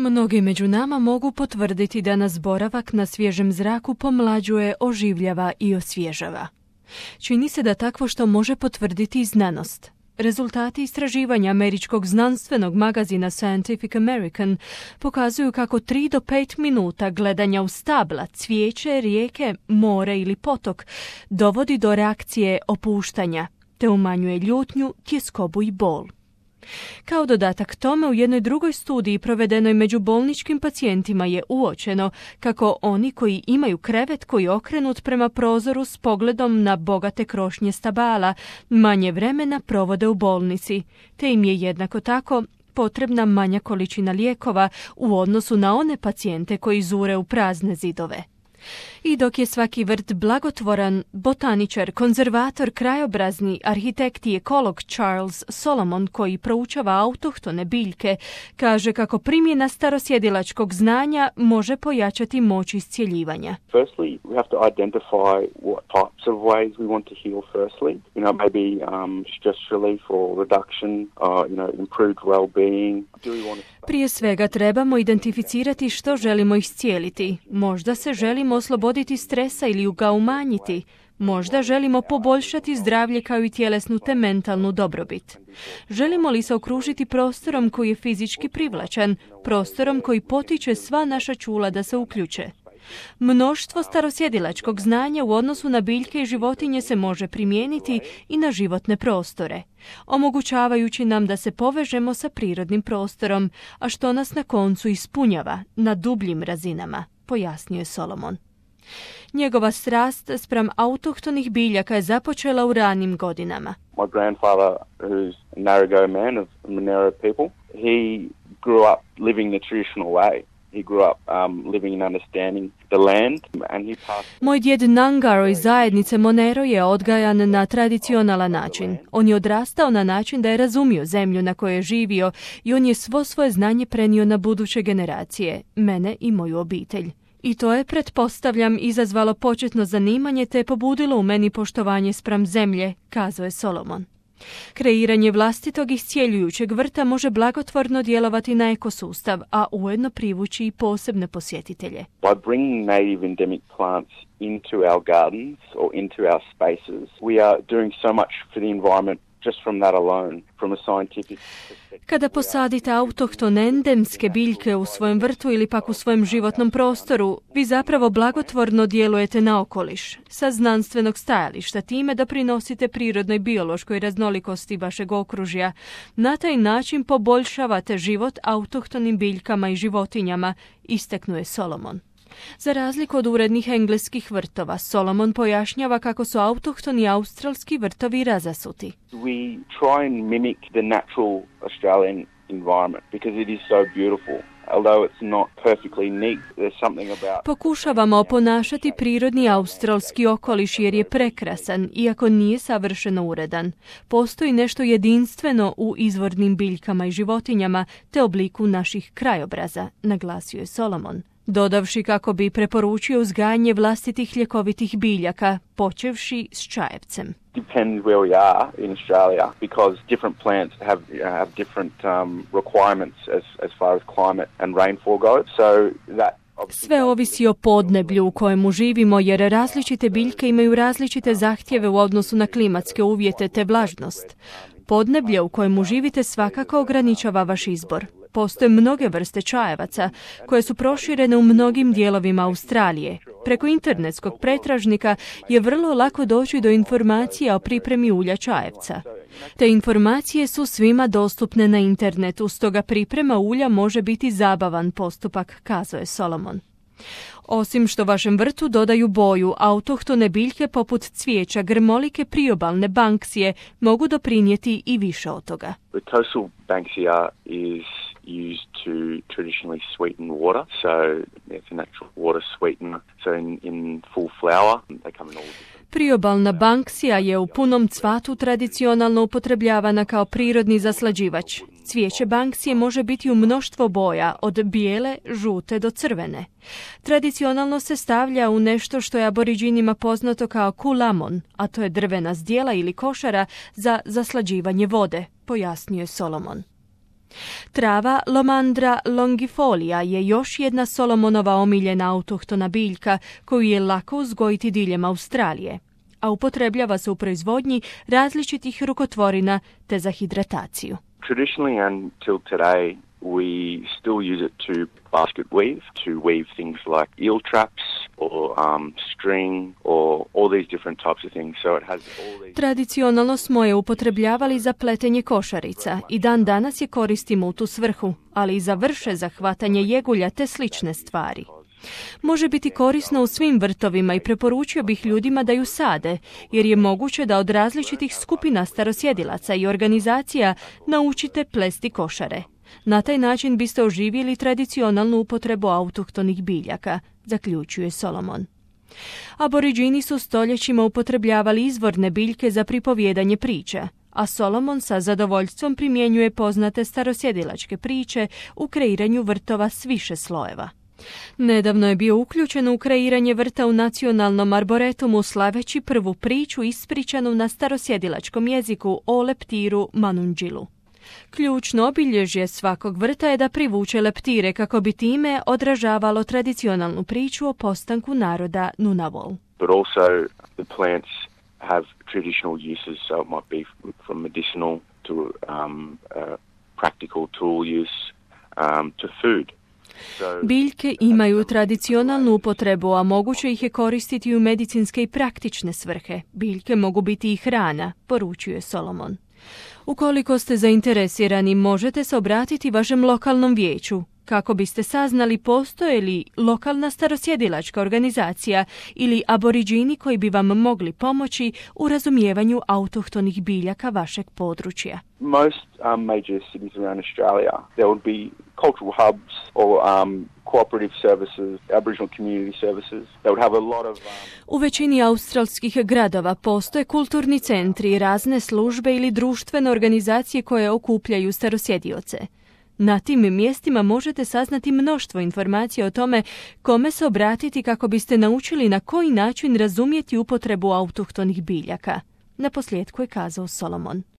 Mnogi među nama mogu potvrditi da nas boravak na svježem zraku pomlađuje, oživljava i osvježava. Čini se da takvo što može potvrditi i znanost. Rezultati istraživanja američkog znanstvenog magazina Scientific American pokazuju kako 3 do 5 minuta gledanja u stabla, cvijeće, rijeke, more ili potok dovodi do reakcije opuštanja, te umanjuje ljutnju, tjeskobu i bol. Kao dodatak tome, u jednoj drugoj studiji provedenoj među bolničkim pacijentima je uočeno kako oni koji imaju krevet koji je okrenut prema prozoru s pogledom na bogate krošnje stabala manje vremena provode u bolnici, te im je jednako tako potrebna manja količina lijekova u odnosu na one pacijente koji zure u prazne zidove. I dok je svaki vrt blagotvoran, botaničar, konzervator, krajobrazni, arhitekt i ekolog Charles Solomon, koji proučava autohtone biljke, kaže kako primjena starosjedilačkog znanja može pojačati moć iscjeljivanja. Firstly, we have to identify what types of ways we want to heal firstly. Maybe stress relief or reduction, improved well-being. Prije svega trebamo identificirati što želimo iscijeliti. Možda se želimo osloboditi stresa ili ga umanjiti. Možda želimo poboljšati zdravlje kao i tjelesnu te mentalnu dobrobit. Želimo li se okružiti prostorom koji je fizički privlačan, prostorom koji potiče sva naša čula da se uključe? Mnoštvo starosjedilačkog znanja u odnosu na biljke i životinje se može primijeniti i na životne prostore, omogućavajući nam da se povežemo sa prirodnim prostorom, a što nas na koncu ispunjava na dubljim razinama, pojasnio je Solomon. Njegova strast spram autohtonih biljaka je započela u ranim godinama. My grandfather, who's a Narragansett man of Monero people, he grew up living the traditional way. He grew up living and understanding the land, and he passed. Moj djed Nangaro iz zajednice Monero je odgajan na tradicionalan način. On je odrastao na način da je razumio zemlju na kojoj je živio i on je svo svoje znanje prenio na buduće generacije, mene i moju obitelj. I to je, pretpostavljam, izazvalo početno zanimanje te je pobudilo u meni poštovanje spram zemlje, kazao je Solomon. Kreiranje vlastitog iscijeljujućeg vrta može blagotvorno djelovati na ekosustav, a ujedno privući i posebne posjetitelje. By bringing native endemic plants into our gardens or into our spaces, we are doing so much for the environment just from that alone, from a scientific perspective. Kada posadite autohtone endemske biljke u svojem vrtu ili pak u svojem životnom prostoru, vi zapravo blagotvorno djelujete na okoliš. Sa znanstvenog stajališta time doprinosite prirodnoj biološkoj raznolikosti vašeg okružja. Na taj način poboljšavate život autohtonim biljkama i životinjama, istaknuo je Solomon. Za razliku od urednih engleskih vrtova, Solomon pojašnjava kako su autohtoni australski vrtovi razasuti. We try and mimic the natural Australian environment because it is so beautiful. Although it's not perfectly neat, there's something about... Pokušavamo oponašati prirodni australski okoliš jer je prekrasan, iako nije savršeno uredan. Postoji nešto jedinstveno u izvornim biljkama i životinjama te obliku naših krajobraza, naglasio je Solomon, dodavši kako bi preporučio uzgajanje vlastitih ljekovitih biljaka, počevši s čajevcem. Depends where we are in Australia because different plants have different requirements as far as climate and rainfall goes. So that sve ovisi o podneblju u kojemu živimo jer različite biljke imaju različite zahtjeve u odnosu na klimatske uvjete te vlažnost. Podneblje u kojemu živite svakako ograničava vaš izbor. Postoje mnoge vrste čajevaca koje su proširene u mnogim dijelovima Australije. Preko internetskog pretražnika je vrlo lako doći do informacija o pripremi ulja čajevca. Te informacije su svima dostupne na internetu, stoga priprema ulja može biti zabavan postupak, kazao je Solomon. Osim što vašem vrtu dodaju boju, autohtone biljke poput cvijeća, grmolike priobalne banksije mogu doprinijeti i više od toga. The coastal banksia is used to traditionally sweeten water, so it's a natural water sweetener. So in full flower, they come in all different. Priobalna banksija je u punom cvatu tradicionalno upotrebljavana kao prirodni zaslađivač. Cvijeće banksije može biti u mnoštvo boja, od bijele, žute do crvene. Tradicionalno se stavlja u nešto što je aboriđinima poznato kao kulamon, a to je drvena zdjela ili košara za zaslađivanje vode, pojasnio je Solomon. Trava Lomandra longifolia je još jedna Solomonova omiljena autohtona biljka koju je lako uzgojiti diljem Australije, a upotrebljava se u proizvodnji različitih rukotvorina te za hidrataciju. Traditionally until today, we still use it to basket weave, to weave things like eel traps or string or all these different types of things. So it has all these... Tradicionalno smo je upotrebljavali za pletenje košarica i dan danas je koristimo u tu svrhu, ali i za vrše za hvatanje jegulja te slične stvari. Može biti korisno u svim vrtovima i preporučio bih ljudima da ju sade, jer je moguće da od različitih skupina starosjedilaca i organizacija naučite plesti košare. Na taj način biste oživjeli tradicionalnu upotrebu autohtonih biljaka, zaključuje Solomon. Aboriđini su stoljećima upotrebljavali izvorne biljke za pripovijedanje priča, a Solomon sa zadovoljstvom primjenjuje poznate starosjedilačke priče u kreiranju vrtova s više slojeva. Nedavno je bio uključen u kreiranje vrta u nacionalnom arboretumu slaveći prvu priču ispričanu na starosjedilačkom jeziku o leptiru Manundžilu. Ključno obilježje svakog vrta je da privuče leptire kako bi time odražavalo tradicionalnu priču o postanku naroda Ngunnawal. But also the plants have traditional uses, so it might be from medicinal to practical tool use to food. Biljke imaju tradicionalnu upotrebu, a moguće ih je koristiti u medicinske i praktične svrhe. Biljke mogu biti i hrana, poručuje Solomon. Ukoliko ste zainteresirani, možete se obratiti vašem lokalnom vijeću kako biste saznali postoje li lokalna starosjedilačka organizacija ili aboriđini koji bi vam mogli pomoći u razumijevanju autohtonih biljaka vašeg područja. Most major cities around Australia, there would be cultural hubs or cooperative services, Aboriginal community services. They would have a lot of... U većini australskih gradova postoje kulturni centri, razne službe ili društvene organizacije koje okupljaju starosjedioce. Na tim mjestima možete saznati mnoštvo informacija o tome kome se obratiti kako biste naučili na koji način razumjeti upotrebu autohtonih biljaka. Naposljetku je kazao Solomon.